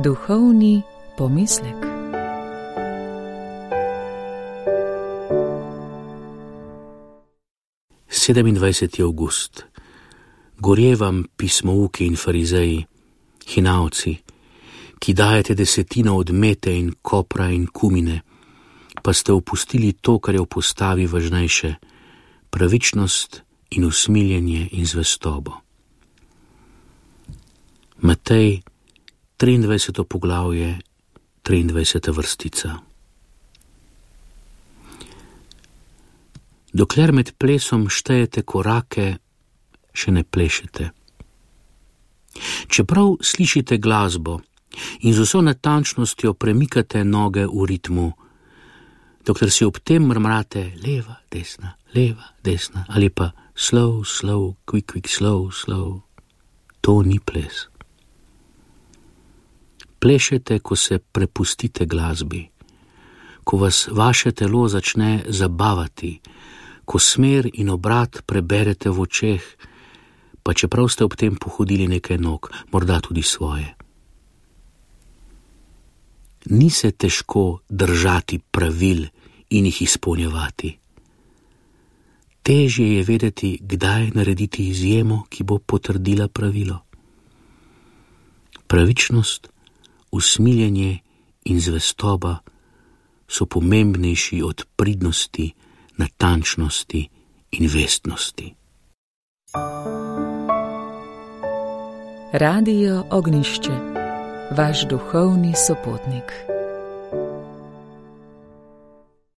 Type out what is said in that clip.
Duhovni pomislek. Sedemindvajseti avgust. Gorje vam pismouki in farizeji, hinavci, ki dajete desetino od mete in kopra in kumine, pa ste opustili to, kar je v postavi važnejše, pravičnost in usmiljenje in zvestobo. Matej, 23. poglavje, 23. vrstica. Dokler med plesom štejete korake, še ne plešete. Čeprav slišite glasbo in z vso natančnostjo premikate noge v ritmu, dokler si ob tem mrmrate leva, desna ali pa slow, slow, quick, slow, slow, to ni ples. Plešete, ko se prepustite glasbi, ko vas vaše telo začne zabavati, ko smer in obrat preberete v očeh, pa čeprav ste ob tem pohodili nekaj nog, morda tudi svoje. Ni se težko držati pravil in jih izpolnjevati. Težje je vedeti, kdaj narediti izjemo, ki bo potrdila pravilo. Pravičnost, usmiljenje in zvestoba so pomembnejši od pridnosti, natančnosti in vestnosti. Radio Ognjišče, vaš duhovni sopotnik.